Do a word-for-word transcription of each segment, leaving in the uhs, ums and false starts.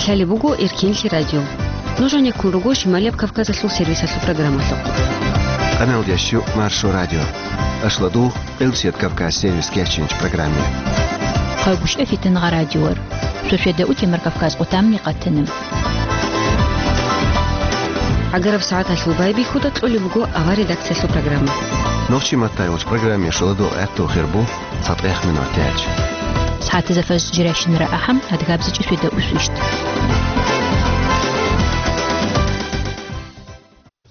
Лъалеб буго Эркенлъи радио. Нуж гьанеккун руго Шималияб Кавказалъул сервисалъул программалъухъ. Къаналдящу Маршо радио. Ашладу, Къилсият Кавказ сервис кечинч программе. Хъагушев Фитангъа радиор. Шошеда утемар Кавказ къутамни къатана. Агараб сагӀаталъул байбихьуда кьолеб буго авар редакциялъул программа. Нохчи маттай уч программе шоладу гӀатту хирбу. ЦатӀех минутач. СагӀатазда фажр жирашинара ахӀам, адгабзичӀи свида усвищт.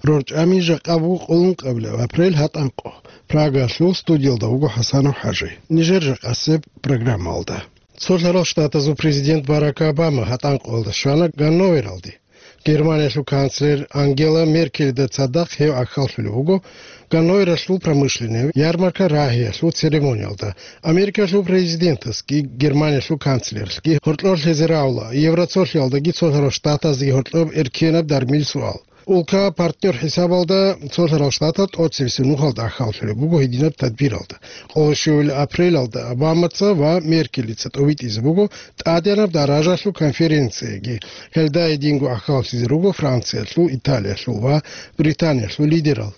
РорчӀами жакъа буго къулун къабилеб апрель гьатӀанкъо. Прагалъул студиялда вуго ХӀасанов ХӀажи. Нижер жакъасеб программалда. Цолъарал Штатазул президент Барак Обама гьатӀанкъоялда щвана Ганновералде. Германиялъул канцлер Ангела Меркельда цадахъ гьев гӀахьаллъулев вуго Ганновералъул промышленный ярмарка рагьиялъул церемониялда. Америкалъул президентасги Германиялъул канцлерлъги гьоркьор лъезе равла Евроцолъиялдаги Цолъарал Штатаздаги гьоркьоб эркенаб дармил суал. Улка партнер хӀисабалда Цолъарал Штатал тӀоцебесеб нухалда гӀахьаллъулеб буго гьединаб тадбиралда. Къоло щуабилеб апрелалда Обамаца ва Меркелица тӀобитӀизе буго тӀадегӀанаб даражалъул конференцияги. Гьелда гьединго гӀахьаллъизе руго Франциялъул, Италиялъул ва Британиялъул лидерал.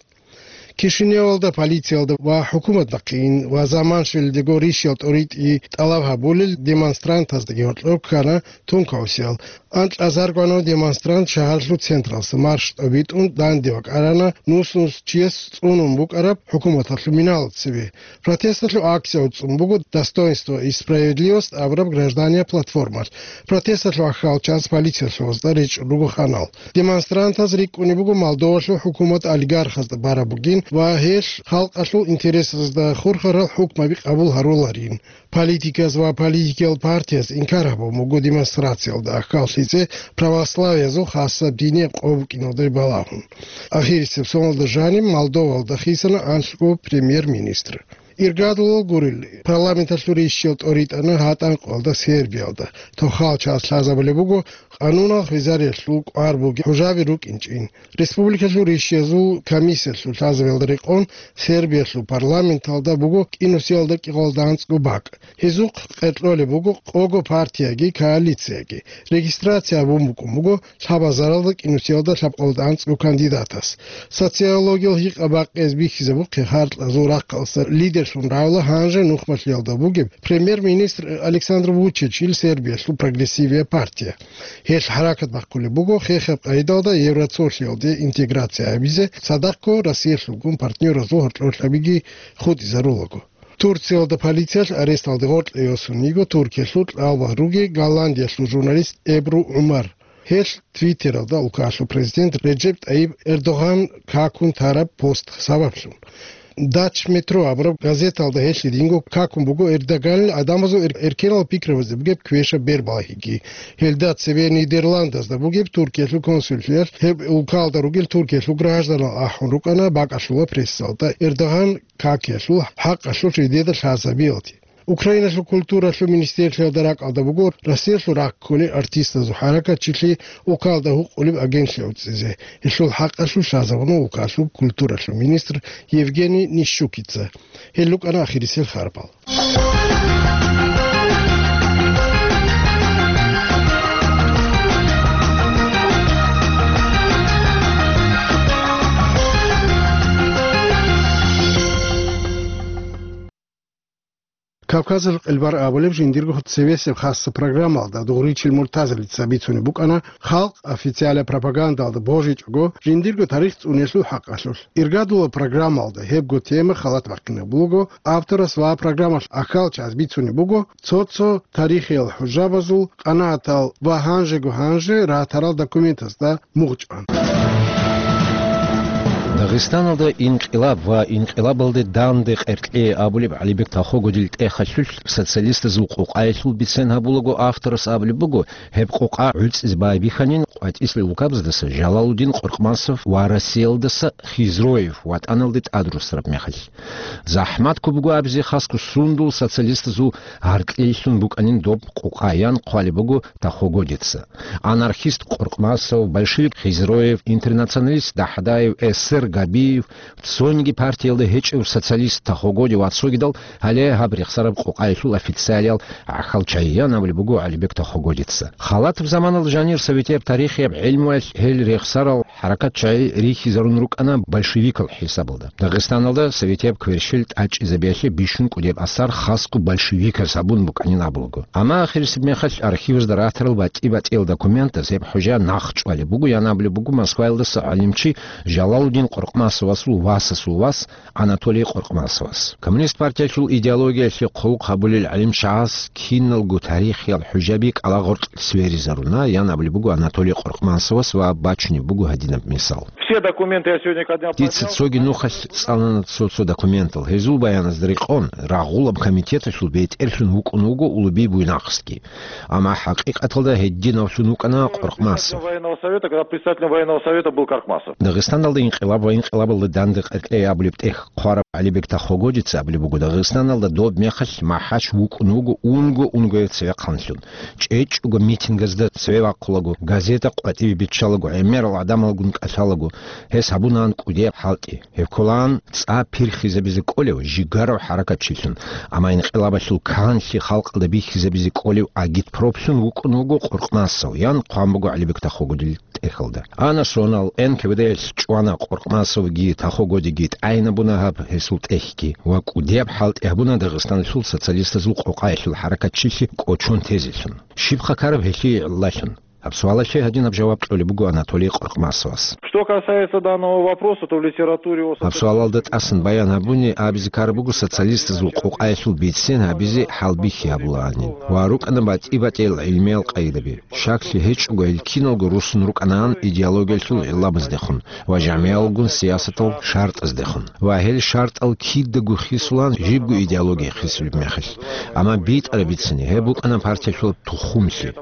Кишиневалда полициялда ва хӀукуматалда хъийин ва заман щвеледего рищал тӀоритӀи тӀалаб гьабулел демонстрантаздаги гьоркьор ккана тункаусиял. Анкьазарго гьанав демонстрант шагьарлъул централъа марш тӀобитӀун данде вакӀарана нус-нус чияс цӀунун букӀараб хӀукуматалъул миналда цебе. Протесталъул акция цӀун буго «Достоинство и справедливость» абураб гражданиял платформалъ. Протесталъул гӀахьалчияс полициялъул вацӀа речӀчӀун руго ханал. Демонстрантаз рикӀкӀунеб буго Молдовалъул хӀукумат олигархазда бараб бугин ва гьелъ халкъалъул интересазда хурхарал хӀукмаби къабул гьаруларин. Политиказ ва политикиял партияз инкар гьабун буго демонстрациялда гӀахьаллъизе православиязул хасаб динияб къо букӀиналда балагьун. Ахирисеб соналда жаниб Молдовалда хисана анлъго премьер-министр. Иргадулал гурел, парламенталъул рищал тӀоритӀана гьатӀанкъоялда Сербиялда. Тохал час лъазабулеб буго къанунал хвезариялъул кӀвар бугеб хӀужаби рукӀинчӀин. Республикалъул рищиязул комиссиялъул лъазабиялда рекъон Сербиялъул парламенталда буго кӀинусиялда кӀикъоялда анцӀго бакӀ. Гьезухъ къеркьолеб буго къого партияги коалицияги. Регистрация гьабун букӀун буго лъабазаралда кӀинусиялда лъабкъоялда анцӀго кандидатас. Социологиял гьикъа-бакъиз бихьизабухъе, гьаркьазул рахъалъа лидерлъун равла гьанже нухмалъиялда бугеб премьер-министр Александр Вучичил Сербиялъул прогрессивиял партия. Гьелъ хӀаракат бахъулеб буго хехаб къайдалда Евроцолъиялде интеграция гьабизе, цадахъго Россиялъулгун партнеразул гьоркьорлъабиги хутӀизарулаго. Турциялда полициялъ аресталде гъоркье йосун йиго Туркиялъул кьалбагъ руги Голландиялъул журналист Эбру ГӀумар. Гьелъ Твиттералда улкалъул президент Реджеп Тайип Эрдоган какун тараб пост сабаблъун. Дач Метро абураб газеталда гьелъ гьединго какун буго Эрдоганил гӀадамазул эр-, эркенал пикрабазде бугеб квешаб бербалагьиги. Гьелда цебе Нидерландазда бугеб Туркиялъул консуллъиялъ гьеб улкалда ругел Туркиялъул гражданал ахӀун рукӀана бакӀалъула прессалда Эрдоган какиялъул хӀакъалъулъ жидеда лъазабиялде. Украиналъул культуралъул министрлъиялда ракӀалда буго Россиялъул рахъ кколел артистазул хӀаракатчилъи улкалда гьукъулеб агентлъи уцӀизе. Гьелъул хӀакъалъулъ лъазабуна улкалъул культуралъул министр Евгений Нищукица. Гьел рукӀана ахирисел харбал. Кавказалъул къилбар абулеб жиндирго цевесеб хасса программалда Дугъричил Муртазалица бицунеб букӀана, халкъ официалаб пропагандалда божичӀого жиндирго тарих цӀуниялъул хӀакъалъулъ. Иргадула программалда гьебго тема халат бахъинаб буго авторас ва программалъ ахьалчаз бицунеб буго цо-цо тарихиял хӀужабазул къанагӀатал ва гьанжего-гьанже ратарал документазда мугъчӀван. Дагъистаналда инкъилаб ва инкъилабалде данде къеркье абулеб ГӀалибек Тахогудил тӀехалъулъ социалистазул къукъаялъул бицен гьабулаго авторас абулеб буго, гьеб къукъа гӀуцӀизе байбихьанин къватӀислъи улкабаздаса Жалалудин Къоркъмасов ва Россиялдаса Хизроев ватӀаналде тӀадрусараб мехалъ. ЗахӀмат ккун буго абизе хасго сундул социалистазул гьаркьлъиялъун букӀанин доб къукъа, ян хъвалеб буго Тахогудица. Анархист Къоркъмасов, большевик Хизроев, интернационалист Дахадаев, эсер Абиев, цониги партиялда гьечӀев социалист Тахогоди ва цогидал гьале гьаб рехсараб къокъаялъул официалиял гӀахьал чагӀи, ян абулеб буго ГӀалибек Тахогодица. Халатаб заманалда жанир советияб тарихияб гӀелмуялъ гьел рехсарал хӀаракат чагӀи рихьизарун рукӀана большевикал хӀисабалда. Дагъистаналда советияб кверщел тӀачӀизабиялъе бищун кӀудияб асар хасго большевиказ гьабун букӀанин абулаго. Амма ахирисеб мехалъ архивазда ратарал батӀи-батӀиял документаз гьеб хӀужа нахъ чӀвалеб буго, ян абулеб буго Москваялдаса гӀалимчи Жалалудин Къоркъмасовасул васасул вас Анатолий Къоркъмасовас. Коммунист партиялъул идеологиялъе хъулухъ гьабулел гӀалимчагӀаз киналго тарихиял хӀужаби кӀалагъоркь сверизаруна, ян абулеб буго Анатолий Къоркъмасовас ва бачунеб буго гьадинаб мисал. Все документы я сегодня ко дня... Дица поднял. Цоги нухалъ цӀалана цо-цо документал. Гьезул баяназда рекъон, рагъулаб комитеталъул бетӀерлъун вукӀун вуго Улуби Буйнакскги. Амма хӀакъикъаталда гьединавлъун вукӀана Къоркъмасов. Военного совета, когда председателем военного совета был Каркмасов. Дагъистаналда инкъилаб ва инкъилабалда данде къеркьей абулеб тӀехь хъвараб ГӀалибек Тахогодица абулеб буго, Дагъистаналда доб мехалъ МахӀач вукӀун вуго унго-унгояв цевехъанлъун. ЧӀечӀого митингазда цеве вахъулаго, газета къватӀибе биччалаго, гӀемерал гӀадамалгун кӀалъалаго, гьес гьабунаан кӀудияб хӀалтӀи. Гьеб кколаан цӀа пирхизабизе кӀолев жигарав хӀаракатчилъун, амма инкъилабалъул канлъи халкъалда бихьизабизе кӀолев агитпроплъун вукӀун вуго Къоркъмасов, ян хъван буго ГӀалибек Тахогодил тӀехьалда. Ана сонал, НКВД-ялъ чӀвана Къоркъмасовги Тахогодиги, тӀайинабуна гьаб гьесул тӀехьги ва кӀудияб хӀалтӀи гьабуна Дагъистаналъул социалистазул къокъаялъул хӀаракатчилъи кӀочон тезелъун. Щиб хъакараб гьелъие гӀиллалъун? Гьаб суалалъе гьадинаб жаваб кьолеб буго Анатолий Къоркъмасовас. Что касается данного вопроса, то в литературе о... Гьаб суалалда тӀасан баян гьабуни абизе ккараб буго социалистазул къокъаялъул бицен гьабизе хӀалбихьи гьабулаанин ва рукӀана батӀи-батӀиял гӀилмиял къайдаби. Щаклъи гьечӀого гьел киналго руссун рукӀанаан идеологиялъул гӀиллабаздехун ва жамигӀалгун сиясатал шартӀаздехун. Ва гьел шартӀал кидаго хисулаан жибго идеология хисулеб мехалъ. Амма битӀараб бицани гьеб букӀана партиялъул тухумлъи.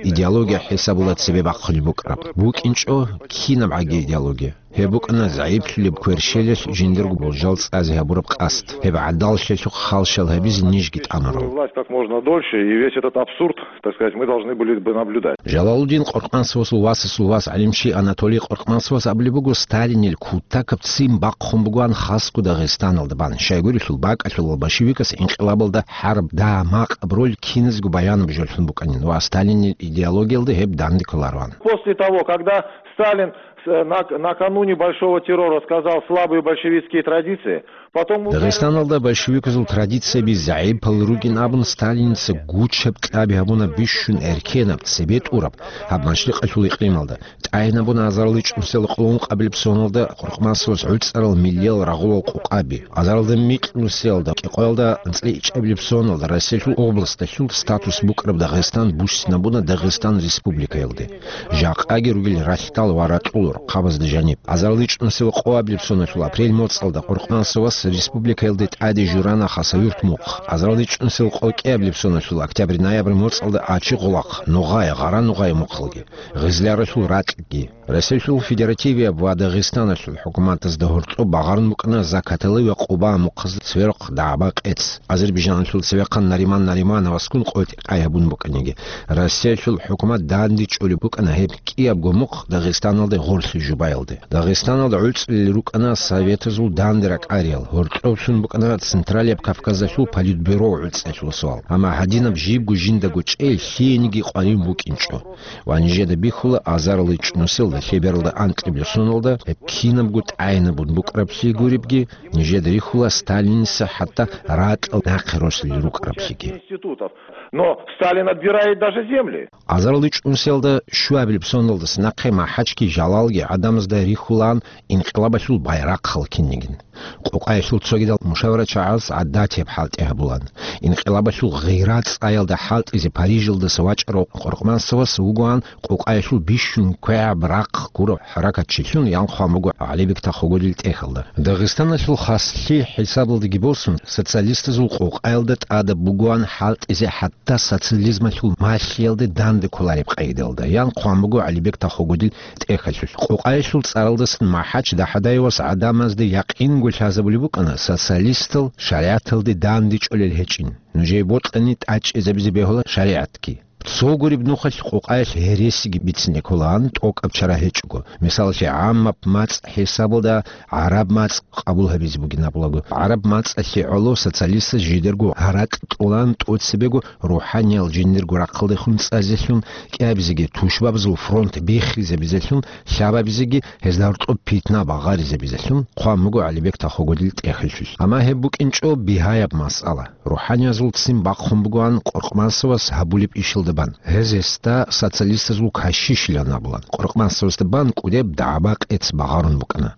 Идеология хӀисабула цебе бахъулеб букӀараб. БукӀинчӀо кинаб гӀаги идеология. Гьеб букӀана загӀиплъулеб кверщелалъ жиндирго болжал цӀазе гьабураб къасд. Гьеб гӀадаллъиялъухъ халщал гьабизе нижги тӀамурал. Власть как можно дольше, и весь этот абсурд, так сказать, мы должны были бы наблюдать. Жалалудин Къоркъмасовасул васасул вас гӀалимчи Анатолий Къоркъмасовас абулеб буго, Сталинил кутакаб ццин бахъун бугоан хасго Дагъистаналда бан. Щайгурелъул бакӀалъулал большевикас инкъилабалда хӀарб дагьа-макъаб роль киназго баянаб жолъун букӀанин ва Сталинил идеологиялда гьеб данде кколароан. После того, когда Сталин с-, нак-, накануне Большого террора сказал «слабые большевистские традиции», потом... Дагъистаналда большевиказул традицияби загӀипал ругин абун, Сталиница гучаб кьаби гьабуна бищун эркенаб, цебе тӀураб гьаб машрикъалъул икълималда. ТӀайинабуна азарилчӀунсел къоло ункъабилеб соналда Къоркъмасовас гӀуцӀарал миллиял рагъулал къокъаби. Азарилда микьнусиялда кӀикъоялда анцӀила ичӀабилеб соналда Россиялъул областалъул статус букӀараб Дагъистан буссинабуна Дагъистан Республикаялде. Жакъаги ругел ралъдал ва ракьул рахъабазда жаниб. АзарилчӀунсел къоабилеб соналъул апрель моцӀалда Къоркъмасовас республикаялде тӀаде журана Хасавюрт мухъ. АзарилчӀунсел къокӀиабилеб соналъул октябрь-ноябрь моцӀалда Ачи-Гъулахъ, Нугъай, Гъара-Нугъай мухълги, Гъизляралъул ракьги. Россиялъул Федеративияб ва Дагъистаналъул хӀукуматазда гьоркьоб багъарун букӀана Закатали ва Къуба мухъазда цверухъ дагӀба-къец. Азербайжаналъул цевехъан Нариман Наримановасгун къотӀи-къай гьабун букӀаниги, Россиялъул хӀукумат данде чӀолеб букӀана гьеб кӀиябго мухъ Дагъистаналде гъорлъи жубаялде. Дагъистаналда гӀуцӀулел рукӀана советазул данде ракӀариял, гьоркьоблъун букӀана Централияб Кавказалъул политбюро гӀуцӀиялъул суал. Амма гьадинаб жибго жиндаго чӀей лъиениги къварин букӀинчӀо. Ва нижеда бихьула, азарилчӀунсел лъебералда анкьабилеб соналда гьеб кинабго тӀайинабун букӀараблъи гуребги, нижеда рихьула Сталиница хӀатта ракьал нахъе росулел рукӀараблъиги. Институтов. Но Сталин отбирает даже земли. АзарилчӀунсиялда щуабилеб соналдаса нахъе МахӀачги Жалалги гӀадамазда рихьулаан инкъилабалъул байрахъал кинигин. Къокъаялъул цогидал мушаварачагӀаз гӀадатияб хӀалтӀи гьабулаан. Инкъилабалъул гъира цӀаялда хӀалтӀизе Парижалдаса вачӀарав Къоркъмасовас вугоан къокъаялъул бищун квегӀаб рахъ гурав хӀаракатчилъун, ян хъван буго ГӀалибек Тахогодил тӀехьалда. Дагъистаналъул хаслъи хӀисабалдаги босун, социалистазул къокъаялда тӀадаб бугоан хӀалтӀизе хӀатта социализмалъул малъиялде данде кколареб къайдалда, ян хъван буго ГӀалибек Тахогодил тӀехьалъулъ. Къокъаялъул цӀаралдасан МахӀач ДахӀадаевас гӀадамазда якъинго лъазабулеб букӀана социалистал шаригӀаталде данде чӀолел гьечӀин. Нужее бокьани тӀачӀизабизе бегьула шаригӀатги. Цо гуреб нухалъ къокъаялъ гьересиги бицине кколаан, тӀокӀаб чара гьечӀого. Мисалалъе, гӀаммаб мацӀ хӀисабалда гӀараб мацӀ къабул гьабизе бугин абулаго. ГӀараб мацӀалъе гӀоло социалистаз жидерго гьаракь кьолаан тӀоцебего рухӀаниял жиндирго рахъалдехун цӀазелъун, кӀиабизеги тушбабазул фронт биххизабизелъун, лъабабизеги гьезда гьоркьоб питна багъаризабизелъун хъван буго ГӀалибек Тахогодил тӀехьалъулъ. Амма гьеб букӀинчӀо бигьаяб масъала. РухӀаниязул ццин бахъун бугоан Къоркъмасовас гьабулеб ишалда бан. Гьез гьесда социалистазул кашишилан абулан. Къоркъмасовасда бан кӀудеб дагӀба-къец багъарун букӀана.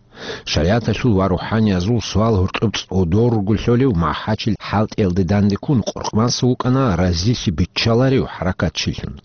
ШаригӀаталъул ва рухӀаниязул суал гьоркьоб цӀодор руго лъолев МахӀачил хӀалтӀиялде дандеккун, Къоркъмасов вукӀана разилъи биччаларев хӀаракатчилъун.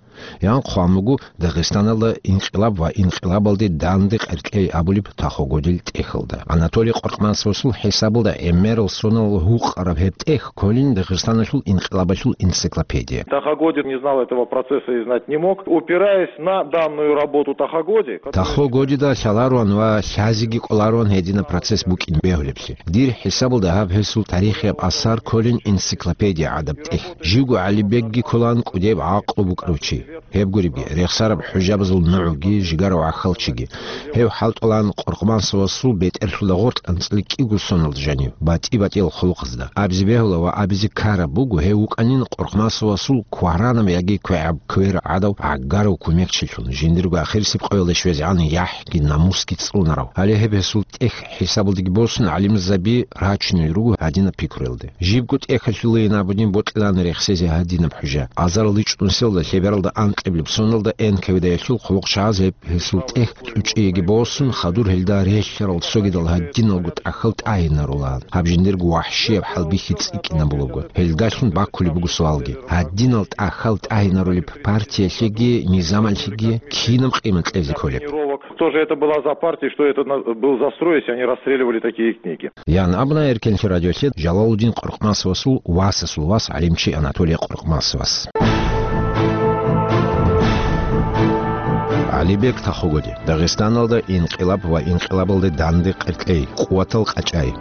Ян хъван буго Дагъистаналда инкъилаб ва инкъилабалде данде къеркьей абулеб Тахогодил тӀехьалда. Анатолий Къоркъмасовасул хӀисабалда гӀемерал соналъ гьукъараб гьеб тӀехь кколин Дагъистаналъул инкъилабалъул энциклопедия. Тахо Годин не знал этого процесса и знать не мог. Упираясь на данную работу Тахо Годи, которая... Тахо Годида лъаларуан ва лъазеги кӀоларуан гьединаб процесс букӀин бегьулеблъи. Дир хӀисабалда гьаб гьесул тарихияб асар кколин энциклопедия гӀадаб тӀехь. Живго ГӀалибекги кколаан кӀудеб гӀакълу букӀарав чи. Гьеб гуребги, рехсараб хӀужабазул нугӀуги, жигарав гӀахьалчиги. Гьев хӀалтӀулаан Къоркъмасовасул бетӀерлъуда гъоркь анцӀила кӀиго соналда жанив, батӀи-батӀиял хъулухъазда. Абизе бегьула ва абизе ккараб буго, гьев вукӀанин Къоркъмасовасул кваранаб яги квегӀаб квер гӀадав гӀагарав кумекчилъун, жиндирго ахирисеб къоялда щвезегӀан яхӀги намусги цӀунарав. Гьале гьеб гьесул тӀехь хӀисабалдеги босун, гӀалимзаби рачунел руго гьадинаб пикруялде. Жибго тӀехьалъулейин абунин бокьилаан рехсезе гьадинаб хӀужа. Азарал ичӀнусиялда лъебералда анкьиблеб соналда Н К В Д-ялъул хъулухъчагӀаз гьеб гьесул тӀехь чӀучӀиеги босун, хадур гьелда релълъарал цогидал гьадиналго тӀахьал тӀагьинарулаан. Гьаб жиндирго вахӀщияб хӀалбихьи цӀикӀкӀинабулаго. Гьелдалъун баккулеб буго суалги: гьадинал тӀахьал тӀагьинарулеб партиялъеги низамалъеги кинаб къимат кьезе кколеб? Что же это была за партия, что это на-, был за строй, если они расстреливали такие книги? Ян абуна Эркенлъи радиолъе Жалалудин Къоркъмасовасул васасул вас гӀалимчи Анатолий Къоркъмасовас. ГӀалибек Тахогоди. Дагъистаналда инкъилаб ва инкъилабалде данде къеркьей, къуватал къачӀай.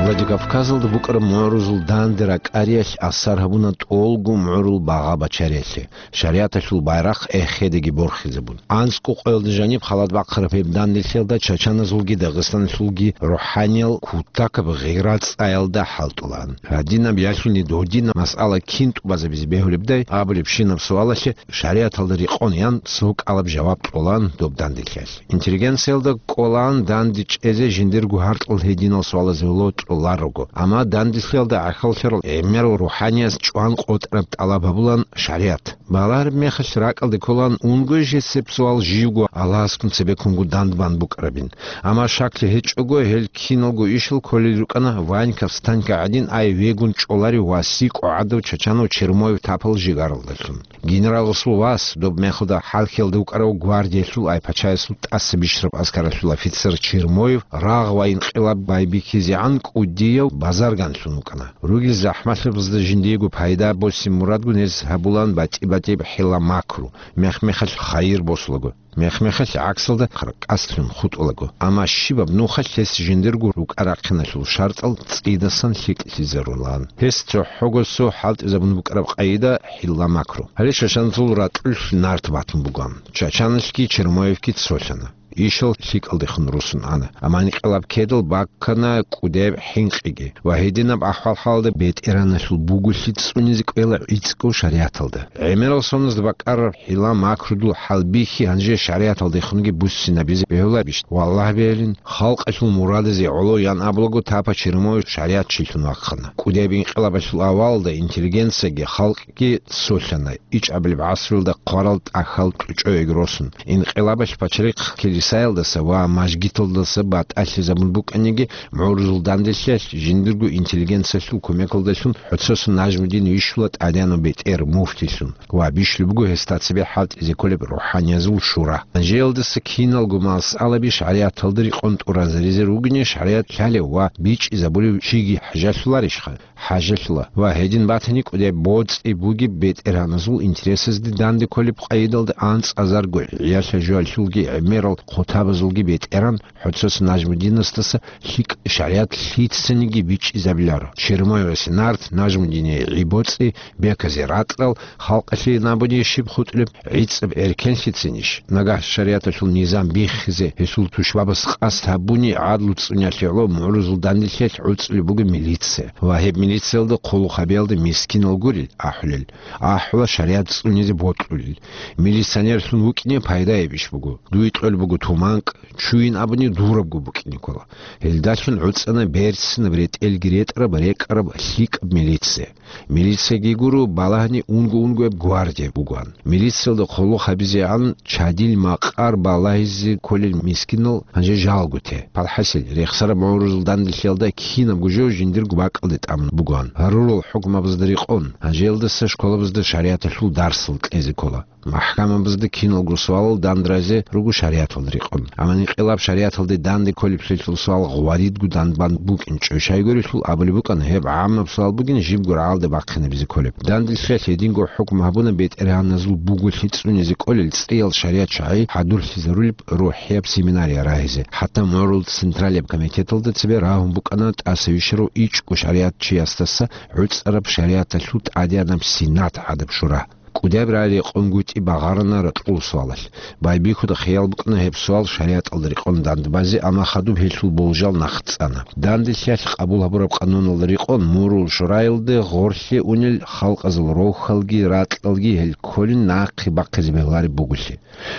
Владикавказалда букӀараб мугӀрузул данде ракӀариялъ асар гьабуна тӀолго мугӀрул багъа бачариялъе. ШаригӀаталъул байрахъ эхедаги борхизабун. АнцӀго къоялда жаниб халат бахъараб гьеб данделъиялда чачаназулги дагъистанлъулги рухӀаниял кутакаб гъира цӀаялда хӀалтӀулаан. Гьадинаб ялъуни додинаб масъала кин тӀубазабизе бегьулебдай абулебщинаб суалалъе шаригӀаталда рекъон ян цо кӀалаб жаваб кьолаан доб данделъиялъ. Интеллигенциялда кӀолаан данде чӀезе жиндирго гьаркьал гьединал суалазе ло кьоларого, амма данделъиялда гӀахьаллъарал гӀемерал рухӀанияз чӀван къотӀараб тӀалаб гьабулаан шаригӀат. Балагьараб мехалъ ракӀалде кколаан унго жесеб суал живго Аллагьасгун цебеккунго дандбан букӀарабин. Амма шаклъи гьечӀого, гьел киналго ишал кколел рукӀана Ваньков Станька гӀадин ай вегун чӀоларев ва сикӀо гӀадав чачанав Чермоев тапал жигаралдалъун. Генераласул вас, доб мехалда хӀалхьиялда вукӀарав гвардиялъул ай пачаясул тӀаса бищараб аскаралъул офицер Чермоев рагъ ва инкъилаб байбихьизегӀан кӀудияв базарганлъун вукӀана. Ругел захӀмалъабазда жиндиего пайда босин мурадгун гьез гьабулаан батӀи-батӀияб хӀила-макру, мех-мехалъ хайир босулаго, мех-мехалъ гӀаксалда хъаркъаслъун хутӀулаго. Амма щибаб нухалъ гьес жиндирго рукӀа-рахъиналъул шартӀал цӀидасан лъикӀлъизарулаан. Гьес цохӀого цо хӀалтӀизабун букӀараб къайда хӀила-макру. Гьале чачаназул ракьулъ нарт батун бугоан. Чачаналъги Чермоевги цолъана. Ишал лъикӀалдехун росун ана. Амма инкъилаб ккедал баккана кӀудеб хӀинкъиги. Ва гьединаб ахӀвал-хӀалда бетӀераналъул буголъи цӀунизе кӀвела гӀицӀго шаригӀаталда. ГӀемерал соназда бакӀараб хӀила-макрудул хӀалбихьи гьанже шаригӀаталдехунги буссинабизе бегьулабищ? Валлагь бегьилин, халкъалъул мурадазе гӀоло ян абулаго тапа Чермоев шаригӀатчилъун вахъана. КӀудеб инкъилабалъул авалалда интеллигенцияги халкъги цолъана, ичӀабилеб гӀасруялда хъварал тӀахьал чӀучӀоеги росун. Инкъилабалъ пачарихъ килисаялдаса ва мажгиталдаса батӀалъизабун букӀаниги, мугӀрузул данделъиялъ жиндирго интеллигенциялъул кумекалдалъун ХӀоцосун Нажмудин вищула тӀадегӀанав бетӀер муфтилъун ва бищулеб буго гьесда цебе хӀалтӀизе кколеб рухӀаниязул шура. Гьанжеялдаса киналго масъалаби шаригӀаталда рекъон тӀуразаризе ругони, шаригӀат лъалев ва бичӀчӀизабулев чиги хӀажалъуларищха? ХӀажалъула. Ва гьедин батани кӀудеб боцӀи бугеб бетӀергьаназул интересазде данде кколеб къайдалда анцӀазарго гӀиялъа-жоялъулги гӀемерал хъутабазулги бетӀеран, ХӀоцос Нажмудинасдаса лъикӀ шаригӀат лъицаниги бичӀчӀизабиларо. Чермоевасе нарт, Нажмудине гӀи-боцӀи, беказе ракьал, халкъалъе набуни щиб хутӀулеб, гӀицӀаб эркенлъицинищ? Нагагь шаригӀаталъул низам биххизе гьелъул тушбабаз къасд гьабуни, гӀадлу цӀуниялъе гӀоло мугӀрузул данделъиялъ гӀуцӀулеб буго милиция. Ва гьеб милициялда хъулухъ гьабиялда мискинал гурел ахӀулел, ахӀула шаригӀат цӀунизе бокьулел. Милиционерлъун вукӀине пайдаябищ буго? Дуе кьолеб буго туманкӀ, чуйин абуни дурабго букӀине ккола. Гьелдалъун гӀуцӀана берцинаб, ретӀелги ретӀараб, рекӀараб, лъикӀаб милиция. Милицияги гуро балагьани унго-унгояб гвардия бугоан. Милициялда хъулухъ гьабизегӀан чадил макъар балагьизе кколел мискинал гьанже жалго те. Палхасел, рехсараб мугӀрузул данделъиялда кинабго жо жиндирго бакӀалде тӀамун бугоан. Гьарурал хӀукмабазда рекъон, гьанжеялдаса школабазда шаригӀаталъул дарсал кьезе ккола. МахӀкамабазда киналго суалал дандразе руго шаригӀаталда рекъон. Амма инкъилаб шаригӀаталде данде кколеблъилъул суал гъваридго данбан букӀинчӀо. Щайгурелъул абулеб букӀана, гьеб гӀаммаб суал бугин, жибго рагӀалде бахъинабизе кколеб. Данделъиялъ гьединго хӀукму гьабуна бетӀергьаназул буголъи цӀунизе кӀолел цӀиял шаригӀат чагӀи хӀадурлъизарулеб рухӀияб семинария рагьизе. ХӀатта мугӀрул Централияб комитеталда цебе рагьун букӀана тӀаса вищарав ичӀго шаригӀатчиясдаса гӀуцӀараб шаригӀаталъул тӀадегӀанаб Сенат гӀадаб шура. КӀудияб рагӀи рекъонгутӀи багъарана ракьул суалалъ. Байбихьуда хиял букӀана гьеб суал шаригӀаталда рекъон дандбазе, амма хадуб гьелъул болжал нахъ цӀана. Данделъиялъ къабул гьабураб къануналда рекъон мугӀрул шураялде гъорлъе унел халкъазул рохьалги ракьалги гьел кколин нахъе бахъизе бегьулареб буголъи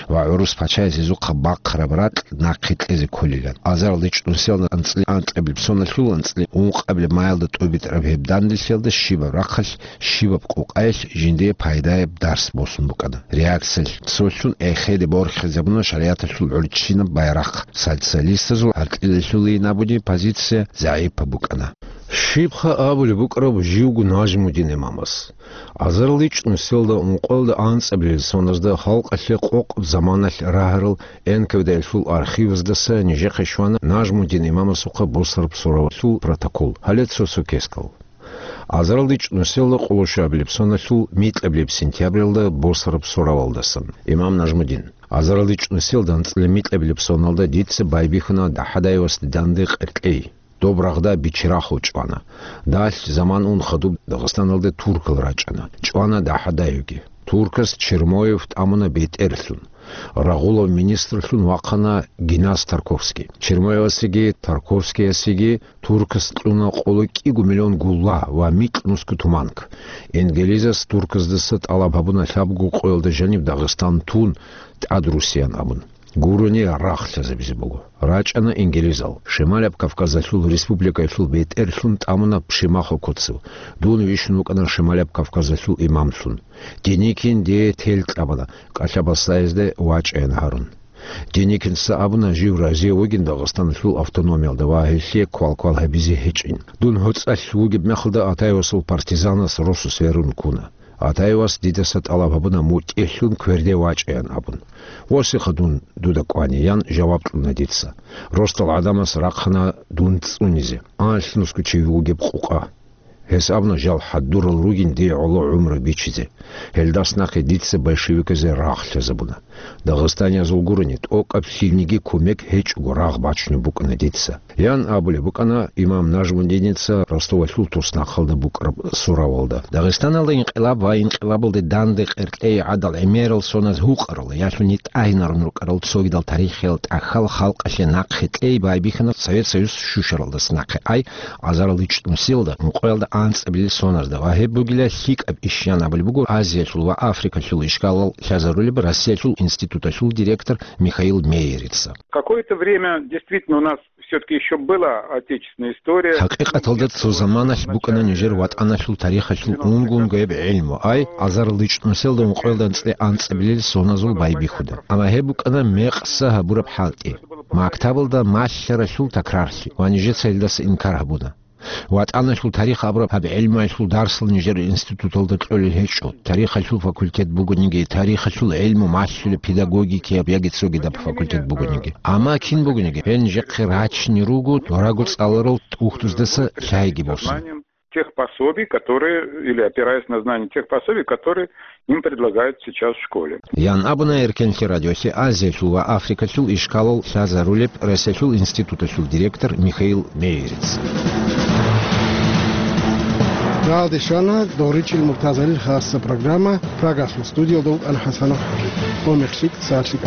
ва гӀурус пачаяс гьезухъа бахъараб ракь нахъе кьезе кколилан. Азаралда ичӀнусиялда анцӀила анкьабилеб соналъул анцӀила ункъабилеб маялда тӀубитӀараб гьеб данделъиялда щибаб рахъалъ, щибаб къукъаялъ жиндие пайдаяб дарс босун букӀана. Реакциялъ цолъун эхеде борхизабуна шаригӀаталъул гӀурччинаб байрахъ. Социалистазул гӀаркьилалъулейин абуни позиция загӀипаб букӀана. Щибха абулеб букӀараб живго Нажмудин имамас? Азарал ичӀнусиялда ункъоялда анцӀабилел соназда халкъалъе къокъаб заманалъ рагьарал Н К В Д-ялъул архиваздаса нижехъе щвана Нажмудин имамасухъа босараб суравалъул протокол. Гьале цо-цо кескал. Азарал ичӀнусиялда къоло щуабилеб соналъул микьабилеб сентябралда босараб суравалдасан. Имам Нажмудин. Азарал ичӀнусиялда анцӀила микьабилеб соналда дица байбихьуна ДахӀадаевасда данде къеркьей. Доб рагъда Бичерахъо чӀвана. Далъ заман ун хадуб Дагъистаналде туркал рачӀана. ЧӀвана ДахӀадаевги. Туркас Чермоев тӀамуна бетӀерлъун. Рагъулав министрлъун вахъана Генас Тарковский. Чермоевасеги Тарковскиясеги туркас кьуна къоло кӀиго миллион гулла ва микьнусго туманг. Ингилизас турказдаса тӀалаб гьабуна лъабго къоялда жаниб Дагъистан тун тӀадрусиян абун. Гурони рагъ лъазабизе буго. РачӀана ингилизал. Шималаб Кавказалъул республикаялъул бетӀерлъун тӀамуна Пшимахо Коцев. Дун вищун вукӀана Шималаб Кавказалъул имамлъун. Деникин дие тел кьабана, кӀалъа-баслаязде вачӀаян гьарун. Деникинца абуна, жив разие вугин Дагъистаналъул автономиялда ва гьелъие квал-квал гьабизе гьечӀин. Дун гьоцӀалъ вугеб мехалда Атаевасул партизанас росу сверун ккуна. Атаевас дидаса тӀалаб гьабуна мутӀигӀлъун кверде вачӀаян абун. Восиха дун дуда кӀвани, ян жаваб кьуна дица. Росдал гӀадамас рахъана дун цӀунизе. Анлънусго чи вугеб къукъа. Гьес абуна, жал хӀадурал ругин дие гӀоло гӀумру бичизе. Гьелдас нахъе дица большевиказе рагъ лъазабуна. Дагъистаниязул гурони, тӀокӀаб лъилниги кумек гьечӀого рагъ бачунеб букӀана дица. Ян абулеб букӀана имам Нажмудиница Ростовалъул туснахъалда букӀараб суравалда. Дагъистаналда инкъилаб ва инкъилабалде данде къеркьей гӀадал гӀемерал соназ гьукъарал, ялъуни тӀагьинарун рукӀарал цогидал тарихиял тӀахьал халкъалъе нахъе кьей байбихьана Совет Союз щущаралдаса нахъе ай, азарал ичӀнусиялда, ункъоялда анцӀабилел соназда ва гьеб бугила лъикӀаб иш, ян абулеб буго Азиялъул ва Африкалъул ишкалал лъазарулеб Россиялъул институталъул директор Михаил Мейерица. Какое-то время действительно у нас все-таки еще была отечественная история. ХӀакъикъаталда цо заманалъ букӀана нижер ватӀаналъул тарихалъул унго-унгояб гӀилму, ай, азарал ичӀнусиялда ункъоялда анцӀ-, анцӀабилел соназул байбихьуда. Амма гьеб букӀана мекъса гьабураб хӀалтӀи. Мактабалда малъаралъул такрарлъи ва нижеца гьелдаса инкар гьабуна. ВатӀаналъул тарих абураб гьаб гӀилмуялъул дарсал нижер институталда кьолел гьечӀо. Тарихалъул факультет бугониги, тарихалъул гӀилму малъулеб педагогикияб яги цогидаб факультет бугониги. Амма кин бугониги, гьел нижехъе рачине руго дораго цӀаларал тӀухьдуздаса лъайги босун. тех пособий, которые, или опираясь на знания тех пособий, которые им предлагают сейчас в школе. Ян абуна Эркенлъи радиолъе Азиялъул ва Африкалъул ишкалал лъазарулеб Россиялъул институталъул директор Михаил Мейерец. Галдешана Доричил Муртазалил хасса программа. Прагалъул студиялда вукӀана ХӀасанов ХӀаким. Омехлъик, сахлъик.